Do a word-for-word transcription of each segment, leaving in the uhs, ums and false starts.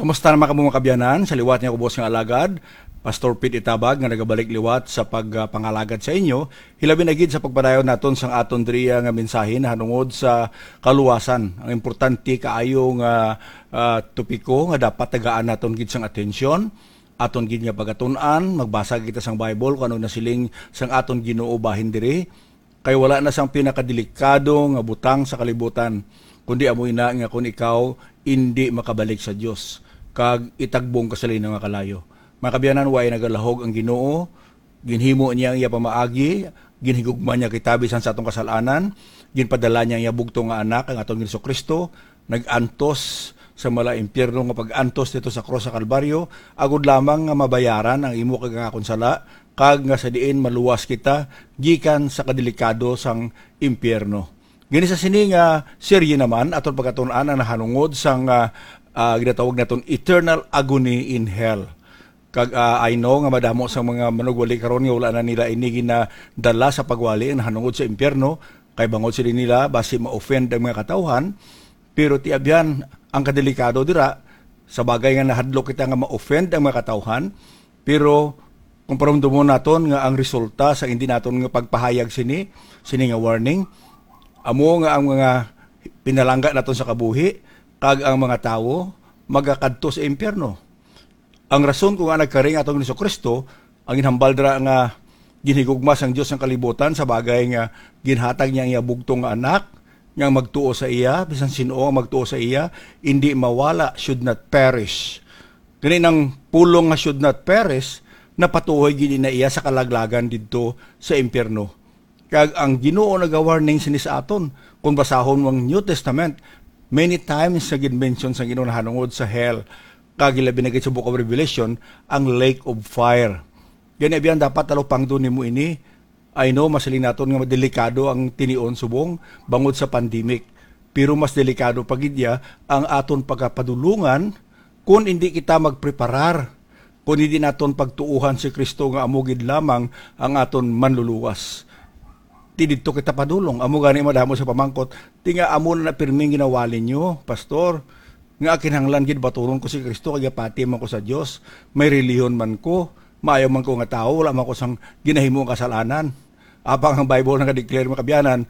Kumusta naman kamo, mga kabyanan? Sa liwat niya, ubos nga alagad, Pastor Pete Itabag, nga nagabalik liwat sa pagpangalagad sa inyo, hilabi na gid sa pagpadayon naton sang aton diriya nga mensahe nahanungod sa kaluwasan. Ang importante kaayo nga, ah, topiko nga dapat tagaan naton gid sang atensyon, aton gid nga pagatun-an, magbasa kita sang Bible kung ano nasiling sang aton Ginoo bahin diri. Kay wala na sang pinakadelikado nga butang sa kalibutan, kundi amo ina nga kon ikaw indi makabalik sa Dios kag itagbong ka sa linaw nga kalayo. Mga kabyanan, way nagalahog ang Ginoo, ginhimo niya ang iya pamaagi, ginhigugma niya kita bisan sa atong kasal-anan, ginpadala niya ang iya bugtong nga Anak, ang aton Jesu-Cristo, nag-antos sa mala impyerno nga pag-antos dito sa krus sa Kalbaryo, agod lamang nga mabayaran ang imo kag ang akon sala, kag nga sa diin maluwas kita gikan sa kadelikado sang impyerno. Gani sa sini nga serye naman, aton pagkatun-an ang nahanungod sang, ah, ah, ginatawag naton eternal agony in hell. Kag, ah, I know nga madamo sang mga manugwali karon nga wala na nila ini ginadala sa pagwali ang nahanungod sa impyerno, kay bangod sila nila basi ma-offend ang mga katawhan. Pero ti abyan, ang kadelikado dira, sa bagay nga nahadlok kita nga ma-offend ang mga katawhan, pero kung paramdumon naton nga ang resulta sa hindi naton nga pagpahayag sini, sini nga warning, amo nga ang mga pinalangga naton sa kabuhi, kag ang mga tawo magakadto sa impyerno. Ang rason kung ngaa nagkari ang atong Jesu-Cristo, ang ginhambal dira nga ginhigugma sang Dios ang kalibutan sa bagay nga ginhatag niya ang iya bugtong nga Anak, nga ang magtuo sa iya, bisan sin-o ang magtuo sa iya, indi mawala, should not perish. Gani, ang pulong nga should not perish, napatuhoy gid na iya sa kalaglagan didto sa impyerno. Kag ang Ginoo naga-warning sini sa aton. Kung basahon mo ang New Testament, many times nga gin-mention sa Ginoo nahanungod sa hell, kag ilabi na gid sa Book of Revelation, ang lake of fire. Gani, abyan, dapat talupangdon nimo ini. I know, masiling naton nga delikado ang tinion subong bangod sa pandemic. Pero mas delikado pa gid iya ang aton pagkapadulungan kung hindi kita magpreparar, kung hindi naton pagtuohan si Kristo nga amo gid lamang ang aton manluluwas. Ti didto kita padulong. Amo gani madamo sa pamangkot, "Ti nga amo na pirming ginawali nyo, Pastor, nga kinahanglan gid baturon ko si Kristo kay gapati man ko sa Dios. May relihiyon man ko, maayo man ko nga tawo, wala man ko sang ginahimo nga kasalanan." Apang ang Bible naga-declare, mga kabyanan,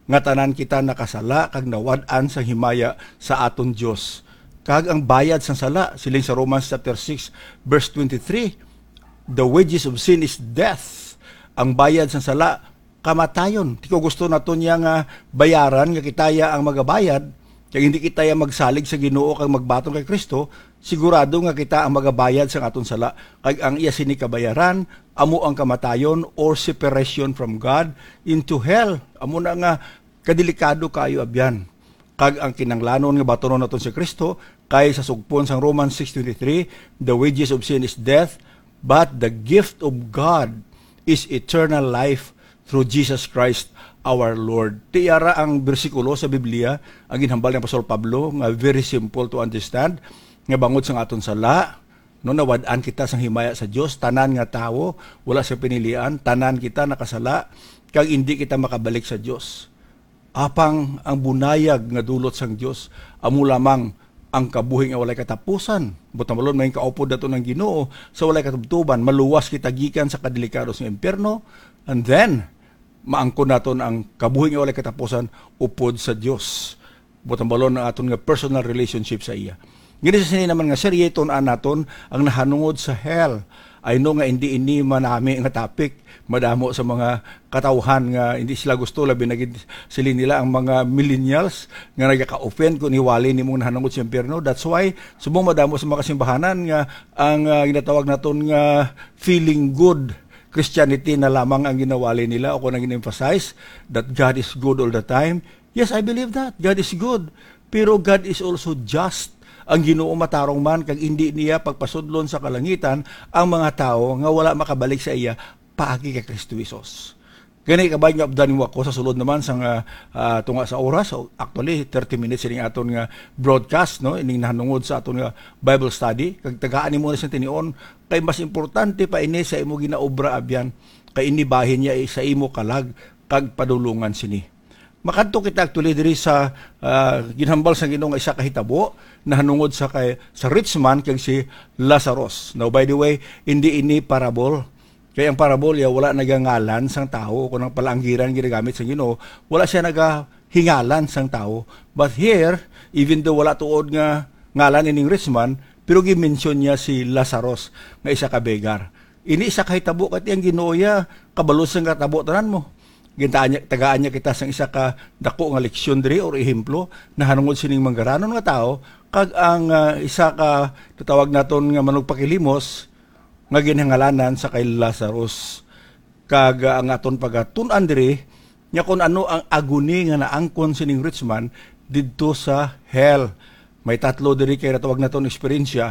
nga tanan kita nakasala kag nawad-an sang himaya sa aton Dios. Kag ang bayad sang sala, siling sa Romans chapter six, verse twenty-three, "The wages of sin is death." Ang bayad sang sala, kamatayon. Ti kung gusto naton niya nga bayaran, nga kita ya ang magabayad, kag hindi kita ya magsalig sa Ginoo kag magbaton kay Kristo, sigurado nga kita ang magabayad sang aton sala. Kag ang iya sini kabayaran amo ang kamatayon, or separation from God into hell. Amo na nga kadelikado kaayo, abyan. Kag ang kinahanglanon nga batunon naton si Kristo, kay sa sugpon sang Romans six twenty-three, "The wages of sin is death, but the gift of God is eternal life through Jesus Christ our Lord." Ti ara ang bersikulo sa Biblia ang ginhambal ni Apostol Pablo, nga very simple to understand, nga bangod sang aton sala, no, nawad-an kita sang himaya sa Dios. Tanan nga tawo, wala sa pinilian, tanan kita nakasala, kag indi kita makabalik sa Dios. Apang ang bunayag nga dulot sang Dios amo lamang ang kabuhi nga walay katapusan. Buot silingon, may kaupod naton ang Ginoo sa walay katubtoban. Maluwas kita gikan sa kadelikado sa impyerno, and then maangkon naton ang kabuhi nga walay katapusan upod sa Dios. Buot silingon, ang aton nga personal relationship sa iya. Gani sa sini naman nga serye, tun-an naton ang nahanungod sa hell. I know nga hindi ini manami nga topic. Madamo sa mga katawhan nga hindi sila gusto, labi na gid siling nila ang mga millennials nga nagaka-offend kung iwali nimong nahanungod sa impyerno. That's why subong madamo sa mga kasimbahanan nga ang, ah, ginatawag naton nga feeling good Christianity na lamang ang ginawali nila o kung ang gin-emphasize that God is good all the time. Yes, I believe that. God is good. Pero God is also just. Ang Ginoo matarong man, kag indi niya pagpasudlon sa kalangitan ang mga tawo nga wala makabalik sa iya paagi kay Kristo Jesus. Gani, kabay nga updan mo ako sa sulod naman sang, ah, ah, tunga sa oras. So, actually, thirty minutes ining aton nga broadcast, no? Ining nahanungod sa aton nga Bible study. Kag tagaan nimo na siyang tinion, kay mas importante pa ini sa imo ginaobra, abyan. Kay ini bahin niya sa imo kalag kag padulungan sini. Makadto kita actually diri sa, ah, ginhambal sa Ginoo nga isa ka hitabo nahanungod sa kay, sa rich man kag si Lazarus. Now, by the way, hindi ini parable. Kay ang parable ya wala nagangalan sang tawo, kung ang palaanggiran ginagamit sa Ginoo, wala siya nagahingalan sang tawo. But here, even though wala tuod nga ngalan ining rich man, pero gi-mention niya si Lazarus nga isa ka beggar. Ini isa ka hitabo, kay ang Ginoo ya kabalo sang katabo tanan mo. Gintaan niya, tagaan niya kita sang isa ka dako nga leksyon diri or ehemplo nahanungod sining manggaranon nga tawo, kag ang, ah, isa ka natawag naton nga manugpakilimos nga ginhangalanan sa kay Lazarus. Kag, ah, ang aton pagatun-an diri nga kung ano ang agony nga naangkon sining rich man didto sa hell. May tatlo diri kay natawag naton eksperyensya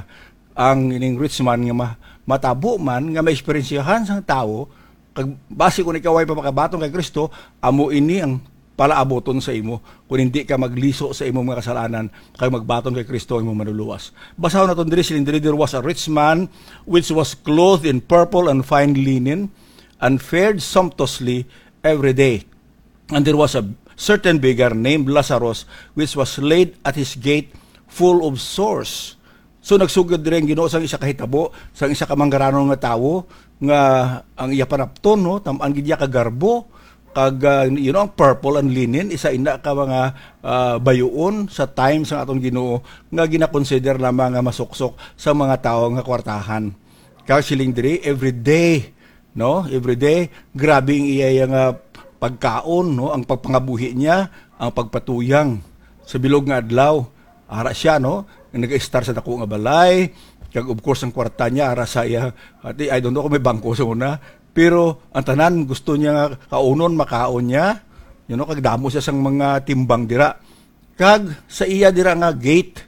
ang ining rich man nga ma-, matabo man nga maeksperiensyahan sang tawo, kag basi kung ikaw ay pa makabaton kay Kristo, amo ini ang palaabuton sa imo, kung hindi ka magliso sa imong mga kasalanan kag magbaton kay Kristo ang imong manluluwas. Basahon naton diri, siling diri, "There was a rich man which was clothed in purple and fine linen, and fared sumptuously every day. And there was a certain beggar named Lazarus, which was laid at his gate full of sores." So, nagsugod diri ang Ginoo sang isa ka hitabo, sang isa ka manggaranon nga tawo, nga ang iya panapton, no, tam-an gid iya ka garbo, kag, ah, you know, ang purple and linen, isa ina ka mga, ah, bayuon sa time sang aton Ginoo nga ginakonsider lamang nga masuksok sa mga tawo nga kwartahan. Kag siling diri, every day, no? Every day, grabe ang iya, iya nga pagkaon, no? Ang pagpangabuhi niya, ang pagpatuyang sa bilog nga adlaw. Ara siya, no? Nag-estar sa dako nga balay, kag of course ang kwarta niya ara sa iya. Ati, I don't know kung may bangko sa una, pero ang tanan gusto niya nga kaunon, makaon niya. You know, kag damo siya sang mga timbang dira. Kag sa iya dira nga gate,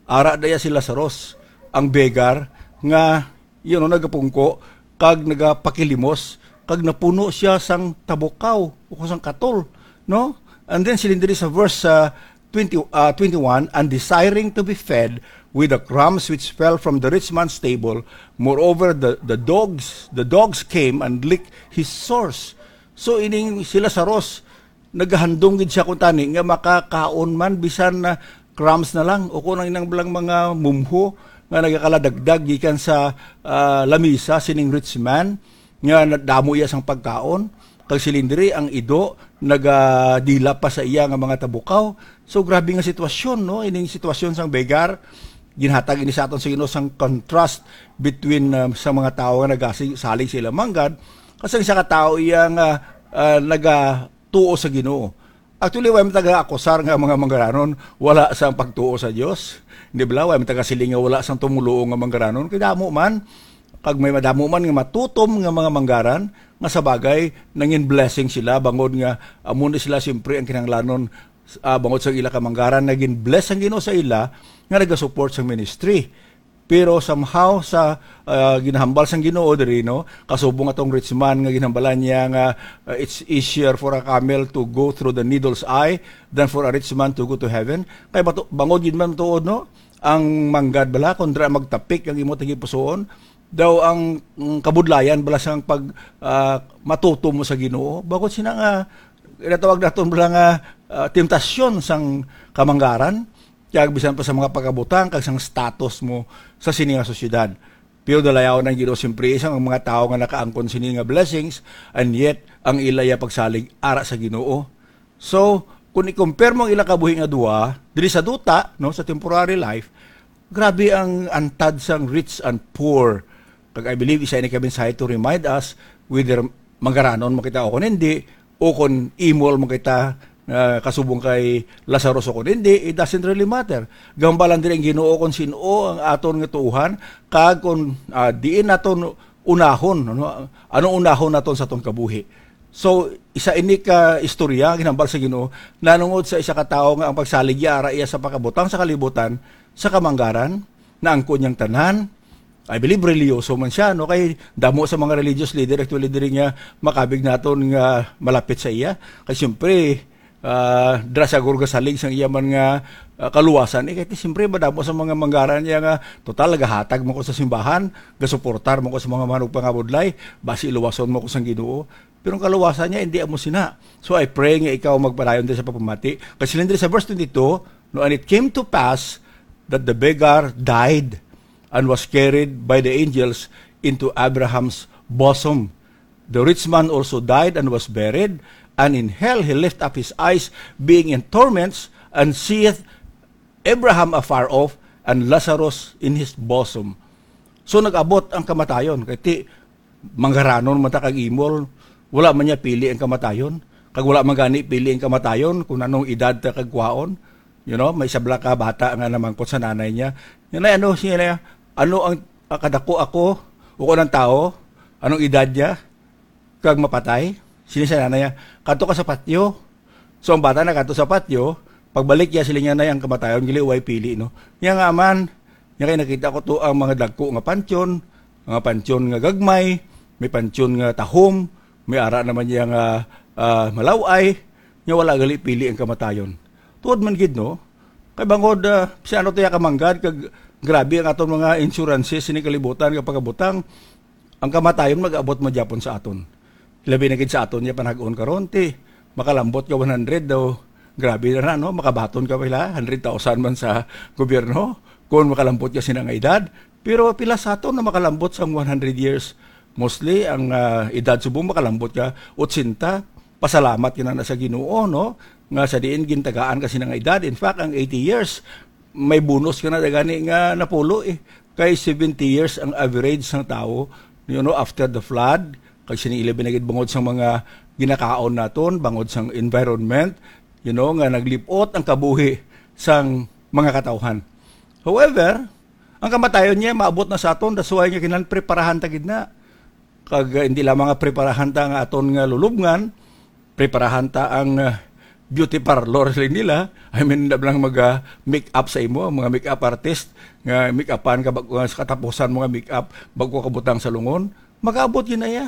ara daya si Lazarus, ang beggar, nga, you know, nagapungko kag nagapakilimos, kag napuno siya sang tabukaw o sang katol, no? And then, siling diri sa verse, ah, twenty, ah, twenty-one, "And desiring to be fed with the crumbs which fell from the rich man's table, moreover, the, the dogs, the dogs came and licked his sores." So, ining si Lazarus, nagahandom gid siya kuntani nga makakaon man bisan na crumbs na lang, o kung ang inang lang mga mumho nga nagakaladagdag gikan sa, ah, lamisa sining rich man, nga na-, damo iya sang pagkaon, kag siling diri ang ido nagadila pa sa iya nga mga tabukaw. So, grabe nga sitwasyon, no? Ining sitwasyon sang beggar, ginhatag ini sa aton sa Ginoo sang contrast between, ah, sa mga tawo nga nagasalig sa ilang manggad, kag sa isa ka tawo iya nga, ah, nagatuo sa Ginoo. Actually, way man taga-akusar nga mga manggaranon wala sang pagtuo sa Dios. Di bala? Way man taga-siling nga wala sang tumoluo nga manggaranon. Kay damo man, kag may madamo man nga matutom nga mga manggaran, nga sa bagay, nangin blessing sila, bangod nga amo ni sila siyempre ang kinahanglanon, ah, bangod sa ila ka manggaran, nagin bless ang Ginoo sa ila, nga nagasupport sa ministry. Pero somehow sa, ah, ginahambal sang Ginoo diri, no, kasubong atong rich man nga ginhambalan niya nga, ah, it's easier for a camel to go through the needle's eye than for a rich man to go to heaven. Kay bato-, bangod gid man tuod, no, ang manggad bala, kung dira magtapik ang imo tagipusoon, daw ang, ang kabudlayan bala sang pag, ah, matutom mo sa Ginoo. Bangod sina nga, ginatawag naton bala nga, ah, temptasyon sang kamanggaran, kag bisan pa sa mga pagkabutang kag sang status mo sa sini nga sosyedad. Pero dalayaw ng Ginoo siyempre sang mga tawo nga nakaangkon sini nga blessings, and yet ang ila ya pagsalig ara sa Ginoo. So, kung i-compare mo ang ila kabuhi nga duha, diri sa duta, no, sa temporary life, grabe ang antad sang rich and poor. Kag I believe isa ini ka mensahe to remind us whether manggaranon mo kita o kung hindi, o kung imol mo kita, ah, kasubong kay Lazarus o kung hindi, it doesn't really matter. Gambalan diri ang Ginoo kung sin-o ang aton nga tuohan, kag kung, ah, diin naton unahon, ano, ano unahon naton sa aton kabuhi. So, isa ini ka istorya ginhambal sa Ginoo nanungod sa isa ka tawo nga ang pagsalig iya ara iya sa pagkabutang sa kalibutan sa kamanggaran, naangkon niyang tanan. I believe reliyoso man siya, no? Kay damo sa mga religious leader actually diri nga makabig naton nga malapit sa iya. Kay siyempre, ah, dira sa gurgasalig sang iya man nga, ah, kaluwasan. Eh, kay siyempre madamo sa mga manggaran niya nga, "Total, nagahatag mo ko sa simbahan, gasuportar mo ko sa mga manugpangabudlay, basi luwason mo ko sang Ginoo." Pero ang kaluwasan niya, hindi amo sina. So I pray nga ikaw magpadayon diri sa pagpamati. Kasi siling diri sa verse twenty-two, "No, and it came to pass that the beggar died and was carried by the angels into Abraham's bosom. The rich man also died and was buried, and in hell he lift up his eyes, being in torments, and seeth Abraham afar off, and Lazarus in his bosom." So nag-abot ang kamatayon, kay ti manggaranon man ta kag imol, wala man niya pili ang kamatayon. Kag wala man gani pili ang kamatayon kung anong edad ta kag kwaon. You know, may sabla ka bata nga namangkot sa nanay niya, "Nanay, ano siya niya? Ano ang, ah, kadako ako o kung anong tao? Anong edad niya? Kag mapatay?" Siling sa nanay niya, "Kadto ka sa patyo." So ang bata nakadto sa patyo, pagbalik niya, siling niya, "Nay, ang kamatayon gali way pili, no?" Niya nga man, niya kay nakita ko to ang mga dagko nga pantyon, mga pantyon nga gagmay, may pantyon nga tahom, may ara naman niya nga, ah, malaw-ay, niya wala gali pili ang kamatayon. Tuod man gid, no? Kay bangod, ah, si ano to ya kamanggad, kag grabe ang aton mga insurances sini kalibutan nga pagabutang, ang kamatayon mag-abot man gyapon sa aton. Labi na gid sa aton niya panag-on karon, ti makalambot ka one hundred daw. Grabe na na, no? Makabaton ka pila, hundred thousand man sa gobyerno kung makalambot ka sina nga edad. Pero pila sa aton na makalambot sang one hundred years? Mostly, ang, ah, edad subong makalambot ka otsenta. Pasalamat ka na, na sa Ginoo, no? Nga sa diin gintagaan ka sina nga edad. In fact, ang eighty years, may bonus ka na gani nga napulo, eh. Kay seventy years ang average sang tawo, you know, after the flood, kag sini ilabi na gid bangod sang mga ginakaon naton, bangod sang environment, you know, nga naglip-ot ang kabuhi sang mga katawhan. However, ang kamatayon niya maabot na sa aton, that's why nga kinahanglan preparahan ta gid na. Kag, uh, hindi lamang nga preparahan ta nga aton nga lulubngan, preparahan ta ang, uh, beauty parlor, siling nila. I mean, hindi lang mag, uh, make up sa imo, ang mga make up artist nga make upan ka bag-, uh, sa katapusan mo nga make up, bago ka butang sa lungon, mag-abot yun na iya.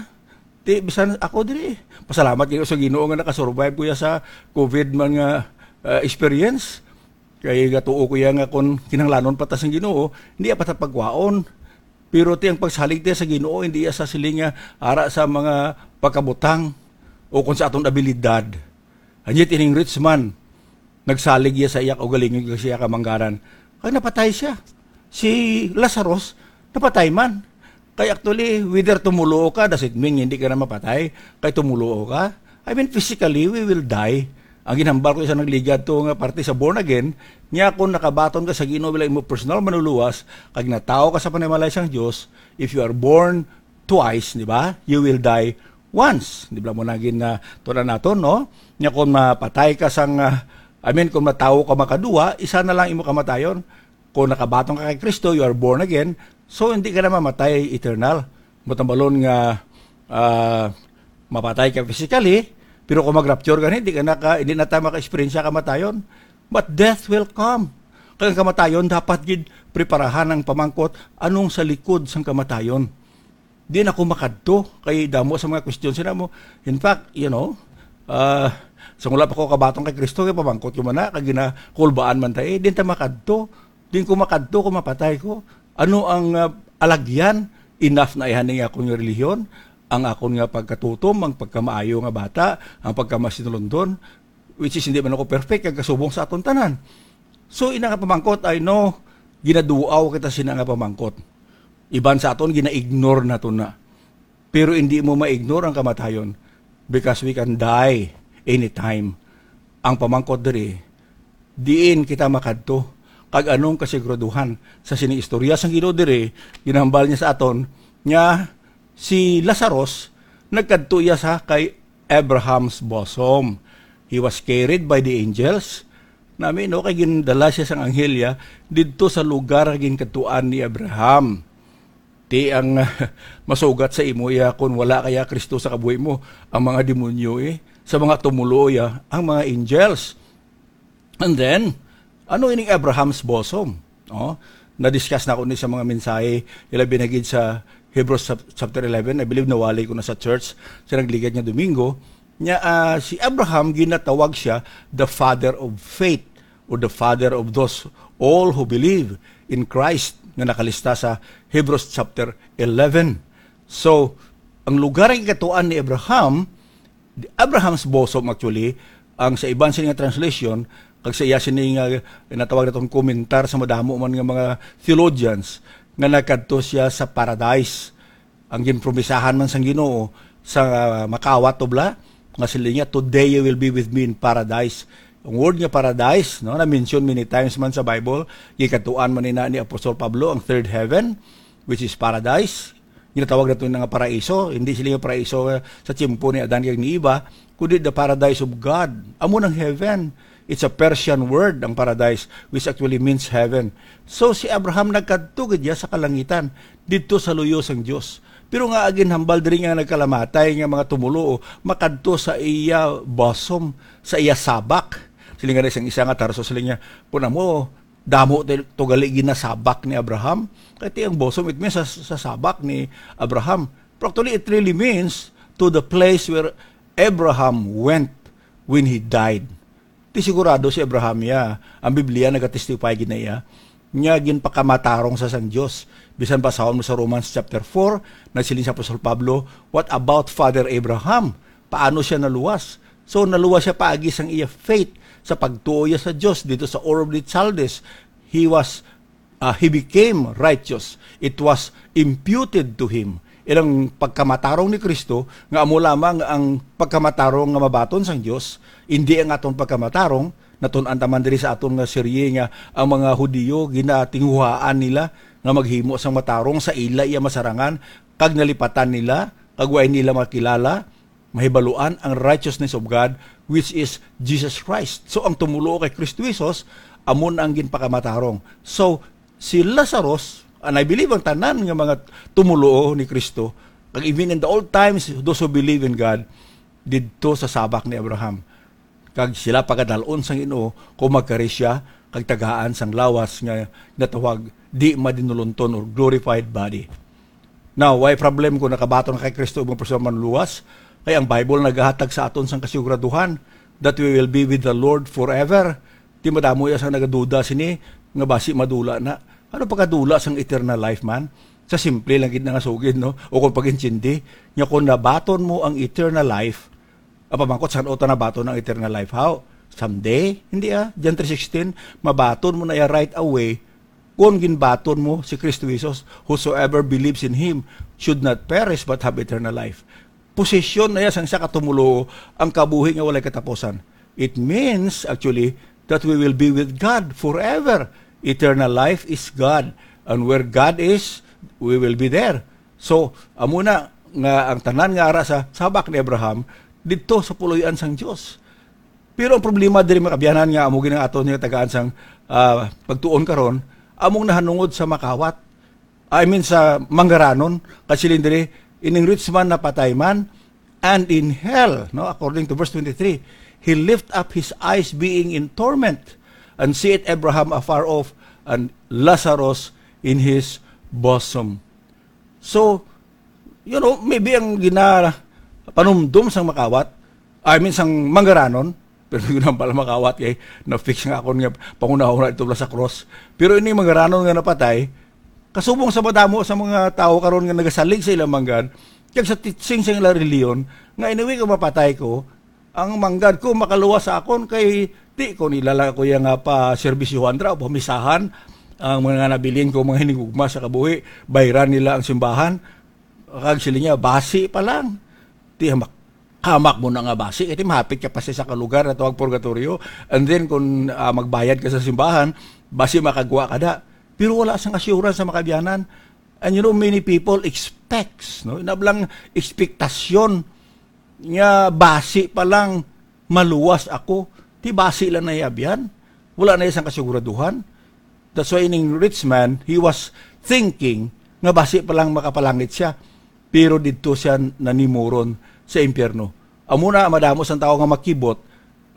Ti, bisan ako diri, pasalamat gyud sa Ginoo nga nakasurvive ko ya sa COVID man nga, uh, experience. Kay gatuo ko ya nga kung kinahanglanon pa ta sang Ginoo, hindi pa ta pagwaon. Pero ti ang pagsalig ti sa Ginoo, hindi iya sa siling nga ara sa mga pagkabutang o kung sa aton abilidad. And yet, ining rich man, nagsalig iya sa iya kaugalingon kag sa iya kamanggaran. Kag napatay siya. Si Lazarus, napatay man. Kay actually, whether tumulo ka, does it mean hindi ka na mapatay? Kay tumulo ka? I mean, physically, we will die. Ang ginhambal ko sa nagligad to nga parte sa born again, niya kung nakabaton ka sa Ginoo bilang imo personal manluluwas, kag natawo ka sa panimalay sang Dios, if you are born twice, di ba? You will die once. Di ba mo nagin na tunan naton, no? Nya kung mapatay ka sang, ah, I mean, kung matawo ka makaduwa, isa na lang imo kamatayon. Kung nakabaton ka kay Kristo, you are born again. So, hindi ka na mamatay eternal. Matambalon nga, ah, mapatay ka physically, pero kung mag-rapture ka, hindi ka na ka, hindi na tayo maka-experience sa kamatayon. But death will come. Kaya ang kamatayon, dapat gid preparahan ang pamangkot, anong sa likod sang kamatayon? Di na ako makadto kay damo sa mga question sila mo. In fact, you know, ah, sa wala pa ko kabatong kay Kristo, kay pamangkot ko man na, kag ginakulbaan man tayo, eh, di ta makadto. Di ko makadto kung mapatay ko. Ano ang, ah, alagyan? Enough na ihan nga akon nga relihiyon, ang akon nga pagkatutom, ang pagkamaayo nga bata, ang pagkamasinulundon, which is hindi man ako perfect, kag kasubong sa aton tanan. So, ina nga pamangkot, I know, ginaduaw kita sina nga pamangkot. Iban sa aton, gina-ignore nato na. Pero hindi mo ma-ignore ang kamatayon because we can die anytime. Ang pamangkot diri, diin kita makadto? Kag anong kasiguraduhan sa sining istorya sang Ginoo diri? Ginahambal niya sa aton nga si Lazarus nagkadto iya sa kay Abraham's bosom. He was carried by the angels. Nami, no, kay gindala siya sang anghel ya didto sa lugar nga ginkadtuan ni Abraham. Ti ang masugat sa imo iya, kun wala kaya Kristo sa kabuhi mo, ang mga demonyo, eh, sa mga tumulo iya, ang mga angels. And then, ano ining Abraham's bosom? Oh, na-discuss na ko ni sa mga mensahe, ilabi na gid sa Hebrews chap-, chapter eleven, I believe nawali ko na sa church sa nagligad nga Domingo. Nya, ah, si Abraham, ginatawag siya the father of faith or the father of those all who believe in Christ nga nakalista sa Hebrews chapter eleven. So, ang lugar nga gikadtuan ni Abraham, Abraham's bosom, actually, ang sa iban sini nga translation, kag sa iya sini nga natawag naton komentar sa madamo man nga mga theologians, nga nagkadto siya sa paradise. Ang ginpromisahan man sang Ginoo sa makawat, to bala, nga siling niya, "Today you will be with me in paradise." Ang word nga paradise, no, na-mention many times man sa Bible, gikadtuan man ina ni Apostol Pablo ang third heaven, which is paradise. Ginatawag nato na nga paraiso. Hindi sila yung paraiso, eh, sa tiyempo ni Adan kag ni Eva, kundi the paradise of God. Amo nang heaven. It's a Persian word, ang paradise, which actually means heaven. So, si Abraham nagkadto gid niya sa kalangitan, didto sa luyo sang Dios. Pero nga ginhambal diri nga nagkalamatay nga mga tumuluo, makadto sa iya bosom, sa iya sabak. Siling nga isang isa nga tarso, siling niya, "Kun amo, damo to, to gali ginasabak ni Abraham." Kay ti ang bosom, it means sa, sa sabak ni Abraham. Pero actually, it really means to the place where Abraham went when he died. Ti sigurado si Abraham iya. Ang Biblia nagatestify gid na iya nga ginpakamatarong sa sang Dios. Bisan basahon mo sa Romans chapter four, nagsiling si Apostol Pablo, "What about Father Abraham? Paano siya naluwas?" So, naluwas siya paagi sang iya faith, sa pagtuo niya sa Dios dito sa Ur of the Chaldees. He was, uh, he became righteous. It was imputed to him. Ilang pagkamatarong ni Kristo, nga amo lamang ang pagkamatarong nga mabaton sang Dios, indi ang aton pagkamatarong. Natun-an ta man diri sa aton nga serye nga ang mga Hudiyo ginatinguhaan nila nga maghimo sang matarong sa ila iya masarangan, kag nalipatan nila, kag way nila makilala, mahibaluan ang righteousness of God, which is Jesus Christ. So, ang tumuluo kay Kristo Jesus, amo na ang ginpakamatarong. So, si Lazarus, and I believe ang tanan nga mga tumuluo ni Kristo, kag even in the old times, those who believe in God, didto sa sabak ni Abraham. Kag sila pagadal-on sang Ginoo kung magkari siya kag tagaan sang lawas nga natawag di madinulonton or glorified body. Now, why problem kung nakabaton na kay Kristo ang mga personal manluwas? Kay ang Bible nagahatag sa aton sang kasiguraduhan that we will be with the Lord forever. Ti madamo ya sang nagaduda sini nga basi madula na. Ano pagkadula sang eternal life man? Sa simple lang gid na nga sugid, no? O kung pag-intindi, nga kung nabaton mo ang eternal life, ang pamangkot, san-o ta nabaton ang eternal life? How? Someday? Hindi, ah. John three sixteen, mabaton mo na iya right away kung ginbaton mo si Kristo Jesus. "Whosoever believes in him should not perish but have eternal life." Posesyon na iya sang isa ka tumuluo ang kabuhi nga walay katapusan. It means, actually, that we will be with God forever. Eternal life is God. And where God is, we will be there. So, amo na nga ang tanan nga ara sa sabak ni Abraham, didto sa puloy-an sang Dios. Pero ang problema diri, mga kabyanan, nga amo gid ang aton nga tagaan sang, ah, pagtuon karon, among nahanungod sa makawat. I mean, sa manggaranon, kasiling diri, ining rich man napatay man, and in hell, no, according to verse twenty-three, he lift up his eyes being in torment, and seeth Abraham afar off, and Lazarus in his bosom. So, you know, maybe ang gina-, panumdom sang makawat, I mean, sang manggaranon, pero yun ang pala makawat kay na-fix nga akon nga panghunahuna ito sa cross. Pero ini manggaranon nga napatay, kasubong sa madamo sa mga tawo karon nga nagasalig sa ilang manggad, kag sa teaching sa ilang reliyon, nga anyway, kung mapatay ko, ang manggad ko makaluwas sa akon, kay di ko nila lang ako iya nga pa-serbisyuhan dira o pamisahan ang mga nabilin ko, mga hinigugma sa kabuhi, bayran nila ang simbahan. Kag sila niya, basi pa lang. Ti hamak, hamak mo na nga basi, kay ti mahapit ka pa sa isa ka lugar na tawag purgatorio. And then, kung, ah, magbayad ka sa simbahan, basi makagwa ka da. Pero wala sang assurance sa makabyanan. And you know, many people expects, no? Inablang ekspektasyon nga basi pa lang maluwas ako. Ti basi lang na iya abyan. Wala na isang kasiguraduhan. That's why ining rich man, he was thinking nga basi pa lang makapalangit siya. Pero didto siya nanimuron sa impyerno. Amo na, madamo sang tawo nga makibot,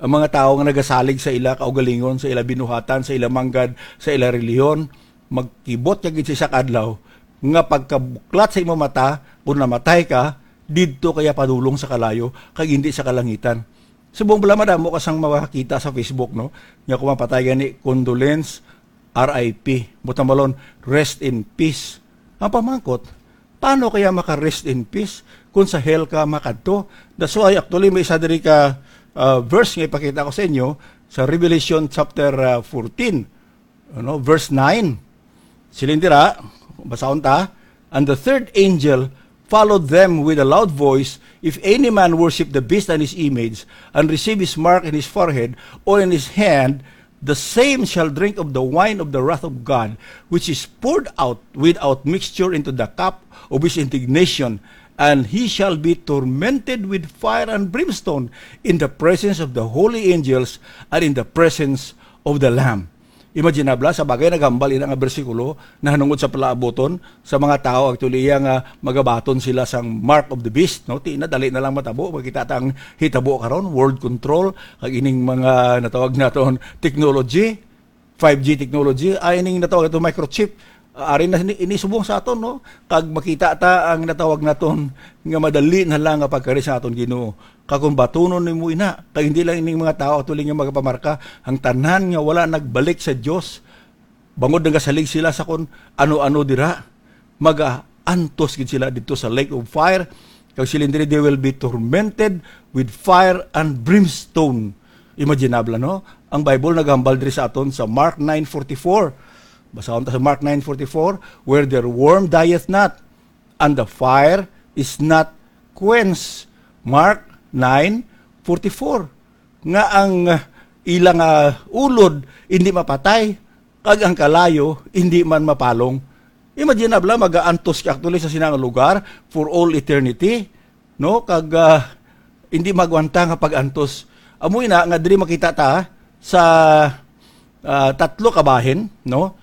ang mga tawo nga nagasalig sa ila kaugalingon, sa ila binuhatan, sa ila manggad, sa ila relihiyon, magkibot ka gid sa isa ka adlaw nga pagkabuklat sa imong mata, kung namatay ka, didto ka iya padulong sa kalayo, kag hindi sa kalangitan. Subong bala madamo ka sang makakita sa Facebook, no? Nga kung mapatay gani, "Condolence, R I P." Butang balon, "Rest in peace." Ang pamangkot, Paano kaya maka-rest in peace kung sa hell ka makadto? That's why, actually, may isa diri ka, ah, verse nga ipakita ko sa inyo sa Revelation chapter, ah, fourteen, ano, verse nine. Siling dira, basahon ta, "And the third angel followed them with a loud voice, 'If any man worship the beast and his image, and receive his mark in his forehead or in his hand, the same shall drink of the wine of the wrath of God, which is poured out without mixture into the cup of his indignation, and he shall be tormented with fire and brimstone in the presence of the holy angels and in the presence of the Lamb.'" Imaginable, sa bagay, naghambal ina nga bersikulo nahanungod sa palaabuton sa mga tawo, actually, iya nga magabaton sila sang mark of the beast, no? Ti na, dali na lang matabo. Makita ta ang hitabo karon, world control, kag ining mga natawag naton technology, five G technology, ay ining natawag naton microchip. Ah, ari na ini, ini subong sa aton, no? Kag makita ta ang natawag naton nga madali na lang nga pagkari sa aton Ginoo. Kag kung batunon nimo ina, kag hindi lang ining mga tawo, actually, nga magapamarka, ang tanan nga wala nagbalik sa Dios, bangod nagasalig sila sa kon ano-ano dira, magaantos gid sila didto sa lake of fire. Kag siling diri, "They will be tormented with fire and brimstone." Imaginable, no? Ang Bible naghambal diri sa aton sa Mark nine forty-four. Basahon ta sa Mark nine forty-four, "Where their worm dieth not, and the fire is not quenched." Mark nine forty-four, nga ang, ah, ilang, ah, ulod hindi mapatay, kag ang kalayo hindi man mapalong. Imaginable, magaantos ka actually sa sinang lugar for all eternity, no? Kag, ah, hindi magwanta nga pag-antos. Amo ina nga diri makita ta sa, ah, tatlo ka bahin, no?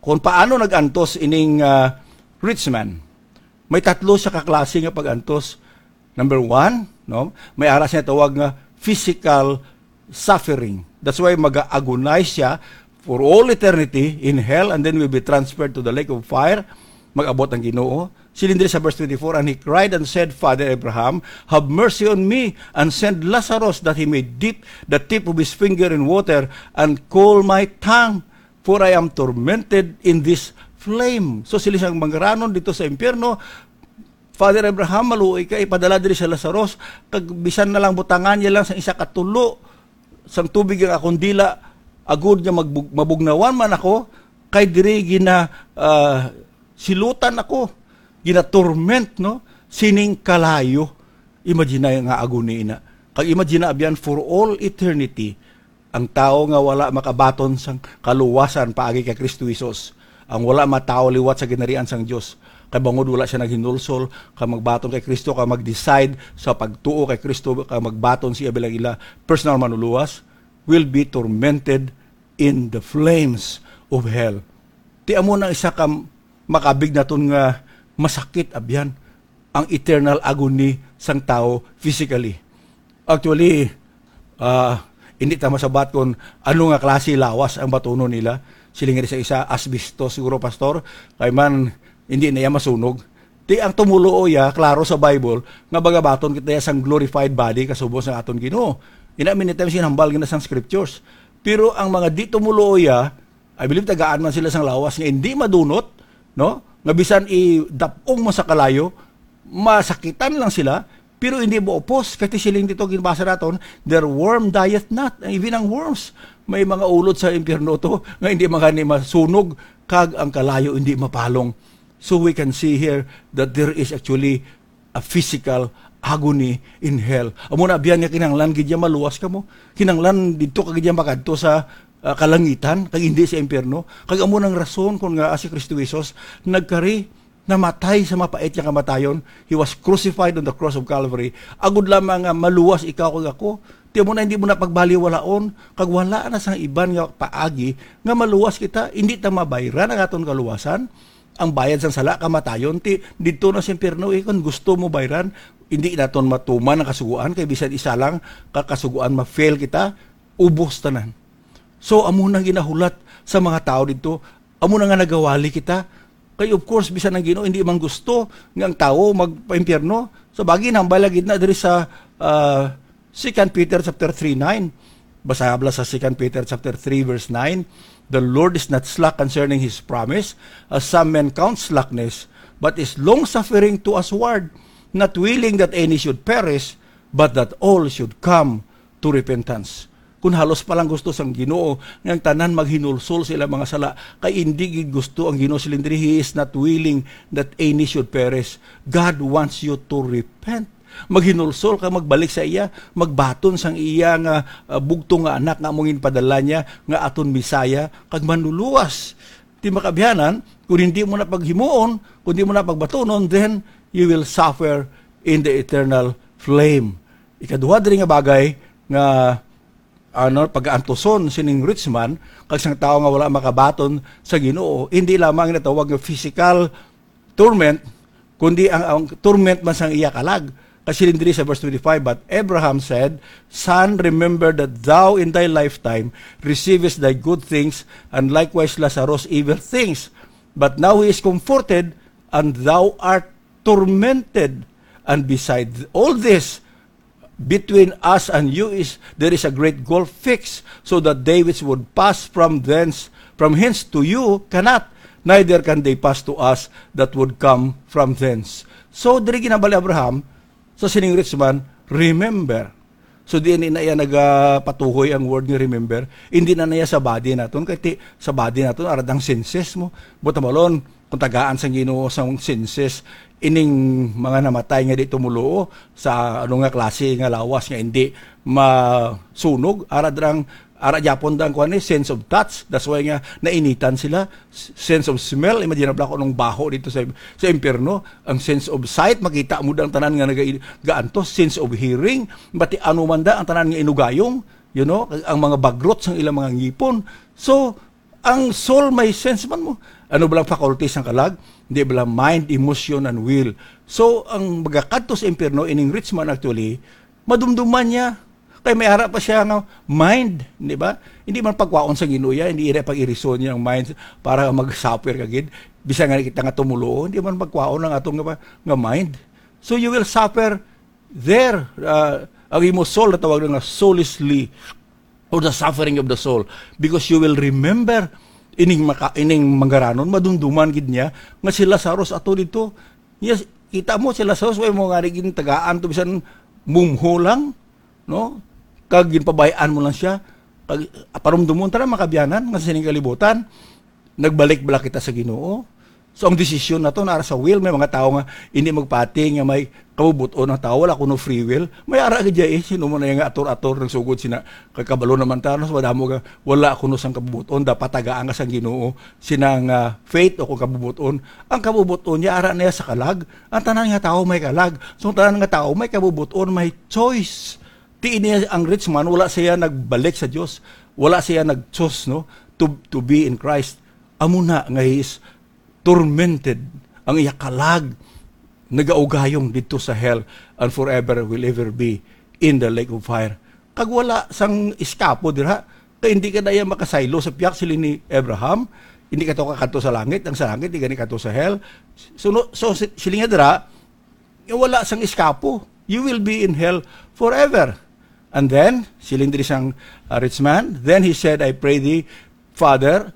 Kung paano nag-antos ining, ah, rich man. May tatlo siya ka klase nga pag-antos. Number one, no? May ara siya tawag nga physical suffering. That's why mag-agonize siya for all eternity in hell and then will be transferred to the lake of fire. Mag-abot ang Ginoo. Siling diri sa verse twenty-four, "And he cried and said, 'Father Abraham, have mercy on me, and send Lazarus that he may dip the tip of his finger in water and cool my tongue, for I am tormented in this flame.'" So, sila siyang manggaranon dito sa impyerno, "Father Abraham, maluoy ka, ipadala diri sa Lazarus, kag bisan na lang butangan niya lang sa isa ka tulo sang tubig ang akong dila, agud nga magbug-, mabugnawan man ako, kay diri gina, ah, silutan ako, gina-torment, no, sining kalayo." Imagine nga agony ina. Kag imagine, abyan, for all eternity, ang tawo nga wala makabaton sang kaluwasan paagi kay Kristo Jesus, ang wala matawo liwat sa ginharian sang Dios, kay bangod wala siya naghinulsol kag magbaton kay Kristo, kag mag-decide sa pagtuo kay Kristo, kag magbaton siya bilang ila personal manuluwas, will be tormented in the flames of hell. Ti amo na isa ka makabig naton nga masakit, abyan, ang eternal agony sang tawo physically. Actually, ah, hindi ta masabat kung ano nga klase lawas ang batunon nila. Siling sa isa, asbestos siguro, Pastor, kay man hindi na iya masunog. Ti ang tumuluo iya, klaro sa Bible, nga bagabaton kita iya sang glorified body kasubo sa aton Ginoo. Ina, many times ginhambal gina sang scriptures. Pero ang mga di tumuluo iya, I believe tagaan man sila sang lawas nga hindi madunot, no? Nga bisan idap-ong mo sa kalayo, masakitan lang sila, pero hindi mo upos. Kay ti siling dito, ginbasa naton, "Their worm dieth not." Even ang worms, may mga ulod sa impyerno to, nga hindi man gani masunog, kag ang kalayo hindi mapalong. So we can see here that there is actually a physical agony in hell. Amo na biyan nga kinahanglan gid niya maluwas kamo. Kinahanglan didto ka gid niya makadto sa, ah, kalangitan, kag hindi sa impyerno. Kag amo nang rason kon ngaa si Kristo Jesus nagkari, namatay sa mapait nga kamatayon. He was crucified on the cross of Calvary. Agud lamang nga maluwas ikaw kag ako. Ti amo na hindi mo na pagbaliwalaon, kag wala na sang iban nga paagi nga maluwas kita. Hindi ta mabayran ang aton kaluwasan. Ang bayad sang sala, kamatayon. Ti, didto na sa impyerno, eh, kung gusto mo bayran, hindi naton matuman ang kasugoan, kay bisan isa lang ka kasugoan, ma-fail kita, ubos tanan. So, amo nang ginahulat sa mga tawo didto, amo na nga nagawali kita. Kay, of course, bisan ang Ginoo, hindi man gusto nga ang tawo magpaimpyerno. Sa bagay, nambala gid na diri sa, ah, Second Peter chapter three nine. Basa habla sa Second Peter chapter three verse nine, "The Lord is not slack concerning his promise, as some men count slackness, but is long-suffering to usward, not willing that any should perish, but that all should come to repentance. Kun halos pa lang gusto sang Ginoo nga ang tanan maghinulsol sa ilang mga sala, kay indi gid gusto ang Ginoo, siling diri, He is not willing that any should perish. God wants you to repent. Maghinulsol ka, magbalik sa iya, magbaton sang iya nga, ah, bugtong nga anak nga amo ginpadala niya nga aton Messiah kag Manluluwas. Ti makaabyanan, kung hindi mo na paghimuon, kung hindi mo na pagbatunon, then you will suffer in the eternal flame. Ikaduha diri nga bagay nga, ano, pagaantuson sining rich man kag sang tawo nga wala makabaton sa Ginoo, hindi lamang natawag nga physical torment, kundi ang, ang torment man sang iya kalag. Kasi diri sa verse twenty-five, "But Abraham said, Son, remember that thou in thy lifetime receivest thy good things, and likewise Lazarus evil things. But now he is comforted, and thou art tormented. And beside all this, between us and you is there is a great gulf fixed, so that they which would pass from thence, from hence to you cannot, neither can they pass to us that would come from thence." So, diri ginhambal ni Abraham sa sining rich man, "Remember." So, di na iya nagapatuhoy ang word nga "remember." Hindi na niya sa body naton, kay ti-, sa body naton, ara dang senses mo. Buot hambalon, kung tagaan sang Ginoo sang senses, ining mga namatay nga di tumuluo sa ano nga klase nga lawas nga hindi masunog, ara drang, ara gyapon dang kuan ni, sense of touch. That's why nga nainitan sila. S-, sense of smell, imagine na ko nung baho dito sa, sa impyerno. Ang sense of sight, makita mo dang tanan nga naga-, gaantos. Sense of hearing, bati ano man da ang tanan nga inugayong, you know, ang mga bagrot sang ilang mga ngipon. So, ang soul may sense man mo. Ano ba lang faculties ang kalag? Hindi ba lang mind, emotion, and will? So, ang magakadto sa impyerno, ining rich man actually, madumduman niya. Kay may ara pa siya nga mind, di ba? Hindi man pagkwaon sa Ginoo ya, hindi ira pag-irison niya ang mind para mag-suffer ka gid. Bisan nga kita nga tumulo, hindi man pagkwaon ang atong nga, nga mind. So you will suffer there. Uh, ang imo soul, natawag na nga soulishly, or the suffering of the soul, because you will remember ining maka, ining manggaranon, madumduman gid niya nga si Lazarus ato dito. Yes, kita mo si Lazarus, way mo nga gid tagaan to, bisan mumho lang, no? Kag ginpabay-an mo lang siya. Kag parumdumon ta na, makabiyanan, nga sa sining kalibutan, nagbalik bala kita sa Ginoo? So, ang desisyon na to, nara sa will. May mga tao nga hindi magpati nga may kabubot-on ang tao, wala kuno free will. May ara gid ya, eh, sino mo na yung ator-ator ng sugod sina, kay kabalo naman ta, no? So, madamo nga wala kuno sang kabubot-on, dapat tagaan ka sang Ginoo, sina nga faith o kung kabubot-on. Ang kabubot-on niya, ara niya sa kalag. Ang tanan nga tao may kalag. So, ang tanan nga tao may kabubot-on, may choice. Ti ini ang rich man, wala siya nagbalik sa Dios. Wala siya nag-choose, no, to, to be in Christ. Amo na nga he is tormented, ang iya kalag nagaugayong didto sa hell, and forever will ever be in the lake of fire. Kag wala sang iskapo dira, kay hindi ka na iya makasaylo sa piyak, siling ni Abraham, hindi ka to kakadto sa langit, ang sa langit, di gani kadto sa hell. So, no, so si-, siling niya dira, nga wala sang iskapo. You will be in hell forever. And then, siling diri sang, uh, rich man, "Then he said, I pray thee, Father,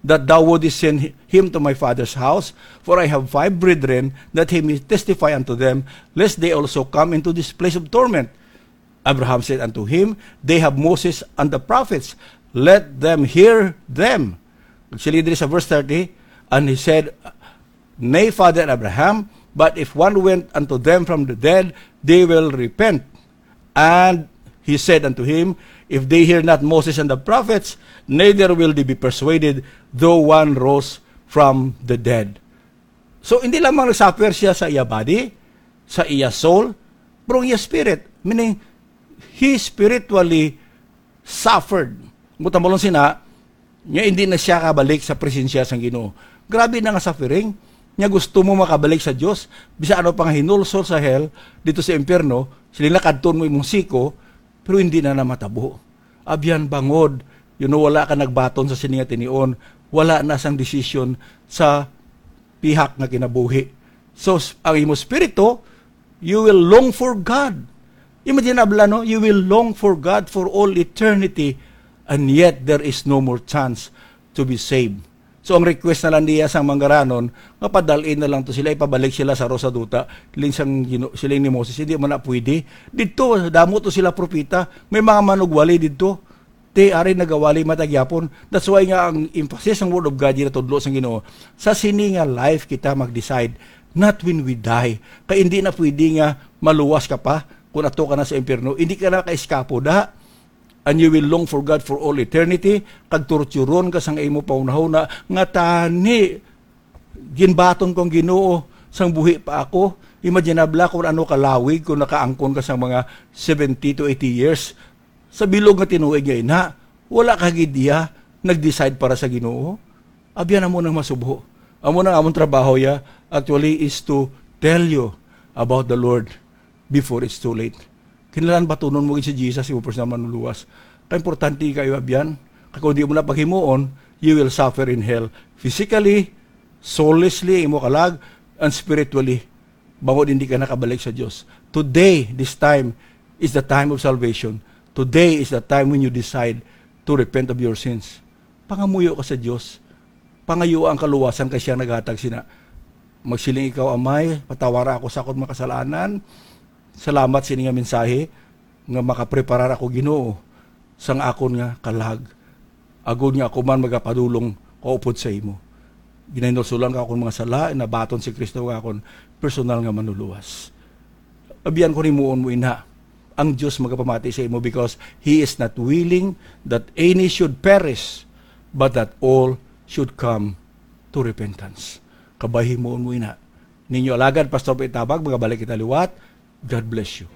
that thou wouldest send hi-, him to my father's house, for I have five brethren, that he may testify unto them, lest they also come into this place of torment." Abraham said unto him, "They have Moses and the prophets, let them hear them." Siling diri sa verse thirty, and he said, "Nay, Father Abraham, but if one went unto them from the dead, they will repent." And he said unto him, "If they hear not Moses and the prophets, neither will they be persuaded, though one rose from the dead." So, hindi lamang nagsuffer siya sa iya body, sa iya soul, pero ang iya spirit, meaning, he spiritually suffered. Buot hambalon sina, nga hindi na siya kabalik sa presensya sang Ginoo. Grabe na nga suffering. Nga gusto mo makabalik sa Dios, bisan ano pa nga hinulsol sa hell, dito sa impyerno, sila nakadton mo imong siko, pero hindi na namatabo. Abyan bangod, you know, wala ka nagbaton sa sini nga tinion, wala na sang desisyon sa pihak nga kinabuhi. So, s-, ang imo spirito, you will long for God. Imagine, abla, no? You will long for God for all eternity, and yet there is no more chance to be saved. So, ang request na lang niya sang manggaranon, nga padalin na lang to sila, ipabalik sila sa ro sa duta. Siling sang Gino-, siling ni Moses, "Hindi man na pwede. Didto, damo to sila propeta. May mga manugwali didto." Ti, ari nagawali man ta gyapon. That's why nga ang emphasis sang Word of God, ginatudlo sang Ginoo, sa sini nga life kita mag-decide, not when we die. Kay hindi na pwede nga maluwas ka pa kung ato ka na sa impyerno. Hindi ka na ka-eskapo da. And you will long for God for all eternity, kag torturon ka sang imo pahunahuna nga, "Tani, ginbaton ko ang Ginoo sang buhi pa ako." Imaginable kung ano kalawig kung nakaangkon ka sang mga seventy to eighty years. Sa bilog nga tinuig nga ina, wala ka gid iya nag-decide para sa Ginoo. Abyan, amo nang masubo. Amo nang amon trabaho ya, actually, is to tell you about the Lord before it's too late. Kinahanglan batunon mo gid si Jesus, imo personal manluluwas. Kay importante kayo, abyan. Kay kung di mo na paghimuon, you will suffer in hell. Physically, soulishly, imo kalag, and spiritually, bangod hindi ka nakabalik sa Dios. Today, this time, is the time of salvation. Today is the time when you decide to repent of your sins. Pangamuyo ka sa Dios. Pangayo ang kaluwasan kay siya naghatag sina. Magsiling ikaw, "Amay, patawara ako sa akon mga kasalanan. Salamat sini nga mensahe nga makapreparar ako, Ginoo, sang akon nga kalag, agod nga ako man magapadulong kaupod sa imo. Ginahinulsulan ka akon mga sala, nabaton si Kristo nga akon personal nga manluluwas." Abyan, kung himuon mo ina, ang Dios magapamati sa imo, because He is not willing that any should perish, but that all should come to repentance. Kabay, himuon mo ina. Ninyo alagad, Pastor Pitabag, magabalik kita liwat. God bless you.